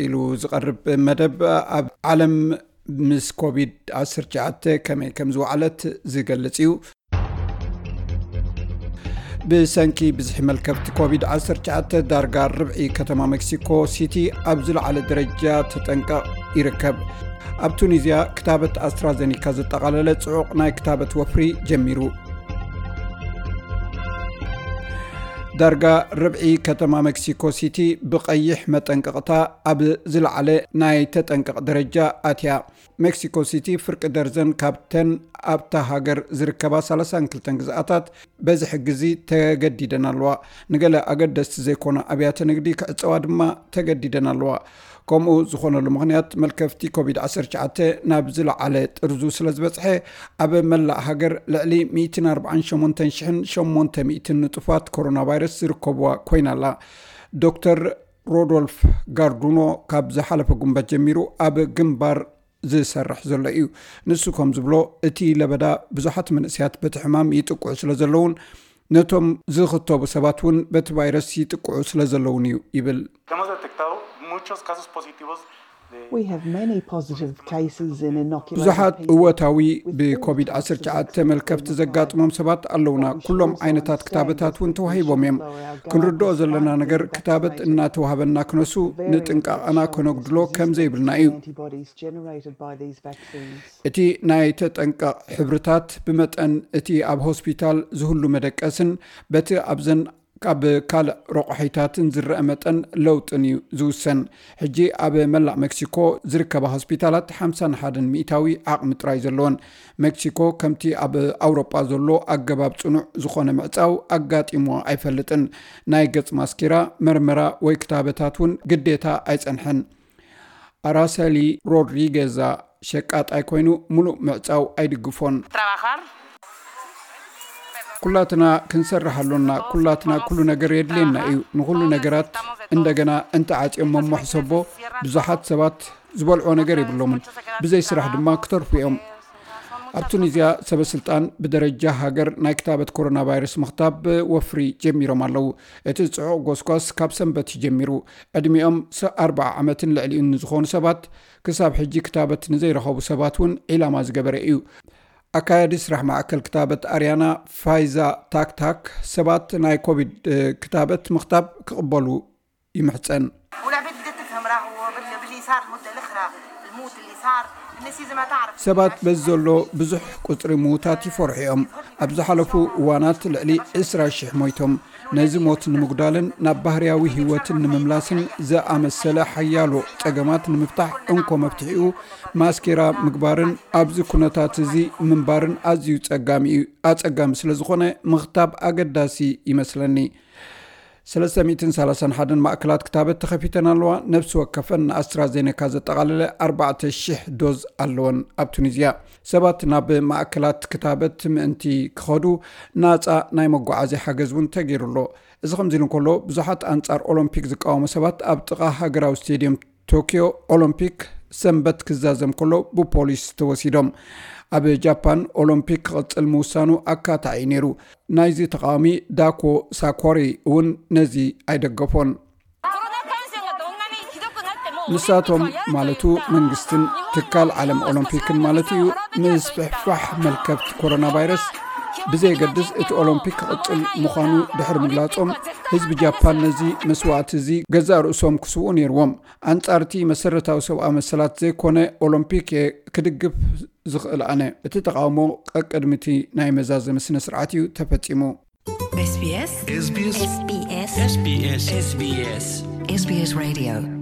ቀጺሉ ዝቐርብ መደብ ኣብ ዓለም ምስ ኮቪድ ዓሰርተ ትሽዓተ ከመይ ከም ዝወዓለት ዝገልጽ እዩ። ብሰንኪ ብዝሒ መልከፍቲ ኮቪድ ዓሰርተ ትሽዓተ ዳርጋ ርብዒ ከተማ ሜክሲኮ ሲቲ ኣብ ዝለዓለ ደረጃ ተጠንቀቕ ይርከብ። ኣብ ቱኒዝያ ክታበት ኣስትራዘኒካ ዘጠቓለለ ጽዑቕ ናይ ክታበት ወፍሪ ጀሚሩ። ዳርጋ ርብዒ ከተማ ሜክሲኮ ሲቲ ብቐይሕ መጠንቀቕታ ኣብ ዝለዓለ ናይ ተጠንቀቕ ደረጃ ኣትያ። ሜክሲኮ ሲቲ ፍርቂ ደርዘን ካብተን ኣብታ ሃገር ዝርከባ ሰላሳን ክልተን ግዝኣታት በዚ ሕጊ እዚ ተገዲደን ኣለዋ። ንገለ ኣገደስቲ ዘይኮና ኣብያተ ንግዲ ክዕጸዋ ድማ ተገዲደን ኣለዋ። ከምኡ ዝኾነሉ ምኽንያት መልከፍቲ ኮቪድ ዓሰርተ ትሽዓተ ናብ ዝለዓለ ጥርዙ ስለ ዝበጽሐ ኣብ መላእ ሃገር ልዕሊ ሚእትን ኣርባዓን ሸሞንተን ሽሕን ሸሞንተ ሚእትን ንጡፋት ኮሮና ቫይረስ ዝርከብዋ ኮይና ኣላ። ዶክተር ሮዶልፍ ጋርዱኖ ካብ ዝሓለፈ ጉንበት ጀሚሩ ኣብ ግንባር ዝሰርሕ ዘሎ እዩ። ንሱ ከም ዝብሎ እቲ ለበዳ ብዙሓት መንእሰያት በቲ ሕማም ይጥቅዑ ስለ ዘለውን ነቶም ዝኽተቡ ሰባት እውን በቲ ቫይረስ ይጥቅዑ ስለ ዘለውን እዩ ይብል። Hemos detectado muchos casos positivos de We have many positive cases in inoculated ብዙሓት people እወታዊ with all ብኮቪድ types of ዓሰርተ ትሽዓተ vaccines መልከፍቲ being ዘጋጥሞም applied. ሰባት ኣለውና። What we should ኩሎም also ዓይነታት understand ክታበታት is እውን that we ተዋሂቦም shouldn't እዮም። lower our guard ክንርድኦ despite ዘለና ነገር being ክታበት vaccinated. እናተዋህበና ክነሱ Variants ንጥንቃቐና that show ከነጉድሎ resistance ከም to ዘይብልና the እዩ። Antibodies generated by these vaccines. እቲ ናይ ተጠንቀቕ ሕብርታት ብመጠን እቲ ኣብ ሆስፒታል ዝህሉ መደቀስን በቲ ኣብዘን ካብ ካልእ ረቑሒታትን ዝረአ መጠን ለውጥን እዩ ዝውሰን። ሕጂ ኣብ መላእ ሜክሲኮ ዝርከባ ሆስፒታላት ሓምሳን ሓደን ሚእታዊ ዓቕሚ ጥራይ ዘለወን። ሜክሲኮ ከምቲ ኣብ ኣውሮጳ ዘሎ ኣገባብ ጽኑዕ ዝኾነ ምዕጻው ኣጋጢምዋ ኣይፈልጥን። ናይ ገጽ ማስኬራ፣ መርመራ ወይ ክታበታት እውን ግዴታ ኣይጸንሐን። ኣራሰሊ ሮድሪጌዛ ሸቃጣይ ኮይኑ ሙሉእ ምዕጻው ኣይድግፎን። trabajar. ኩላትና ክንሰርሕ ኣሎና። ኩላትና ኩሉ ነገር የድልየና እዩ። ንኹሉ ነገራት እንደገና እንተዓጽዮም እሞ ሕሰቦ፣ ብዙሓት ሰባት ዝበልዖ ነገር የብሎምን። ብዘይ ስራሕ ድማ ክተርፉ እዮም። ኣብ ቱኒዝያ ሰበ ስልጣን ብደረጃ ሃገር ናይ ክታበት ኮሮና ቫይረስ ምኽታብ ወፍሪ ጀሚሮም ኣለዉ። እቲ ጽዑቕ ጎስጓስ ካብ ሰንበት እዩ ጀሚሩ። ዕድሚኦም ስ- ኣርብዓ ዓመትን ልዕሊኡን ንዝኾኑ ሰባት ክሳብ ሕጂ ክታበት ንዘይረኸቡ ሰባት እውን ዒላማ ዝገበረ እዩ። ኣካያዲ ስራሕ ማዕከል ክታበት ኣርያና ፋይዛ ታክታክ ሰባት ናይ ኮቪድ እ፣ ክታበት ምኽታብ ክቕበሉ ይምሕጸን። والعباد بدات تفهم راهو بال- باللي صار المده الاخرى، الموت اللي صار، الناس لازمها تعرف. ሰባት በዚ ዘሎ ብዙሕ ቁጽሪ ምዉታት ይፈርሑ እዮም። ኣብ ዝሓለፉ እዋናት ልዕሊ ዕስራ ሽሕ ሞይቶም። ነዚ ሞት ንምጉዳልን ናብ ባህርያዊ ህይወትን ንምምላስን ዝኣመሰለ ሓያሎ ጸገማት ንምፍታሕ እንኮ መፍትሒኡ ማስኬራ ምግባርን ኣብዚ ኩነታት እዚ ምንባርን ኣዝዩ ጸጋሚ እዩ። ኣጸጋሚ ስለ ዝኾነ ምኽታብ ኣገዳሲ ይመስለኒ። ሰለስተ ሚእትን ሰላሳን ሓደን ማእከላት ክታበት ተኸፊተን ኣለዋ። ነፍሲ ወከፈን ንኣስትራዜኔካ ዘጠቓለለ ኣርባዕተ ሽሕ ዶዝ ኣለወን። ኣብ ቱኒዝያ ሰባት ናብ ማእከላት ክታበት ምእንቲ ክኸዱ ናጻ ናይ መጓዓዝያ ሓገዝ እውን ተገይሩ ኣሎ። እዚ ከምዚ ኢሉ እንከሎ ብዙሓት ኣንጻር ኦሎምፒክ ዝቃወሙ ሰባት ኣብ ጥቓ ሃገራዊ ስቴድየም ቶኪዮ ኦሎምፒክ ሰንበት ክዛዘም ከሎ ብፖሊስ ተወሲዶም። ኣብ ጃፓን ኦሎምፒክ ክቕጽል ምውሳኑ ኣካታዒ ነይሩ። ናይዚ ተቃዋሚ ዳኮ ሳኮሪ እውን ነዚ ኣይደገፎን። ንሳቶም ማለቱ መንግስትን ትካል ዓለም ኦሎምፒክን ማለት እዩ ምስፍሕፋሕ መልከፍቲ ኮሮና ቫይረስ ብዘየገድስ እቲ ኦሎምፒክ ክቕጽል ምዃኑ ድሕሪ ምግላጾም ህዝቢ ጃፓን ነዚ መስዋእቲ እዚ ገዛእ ርእሶም ክስውኡ ነይርዎም። ኣንጻርቲ መሰረታዊ ሰብኣዊ መሰላት ዘይኮነ ኦሎምፒክ እየ ክድግፍ ዝኽእል ኣነ። እቲ ተቓውሞ ቀቅድሚ እቲ ናይ መዛዘሚ ስነ ስርዓት እዩ ተፈጺሙ። SBS SBS SBS SBS SBS SBS Radio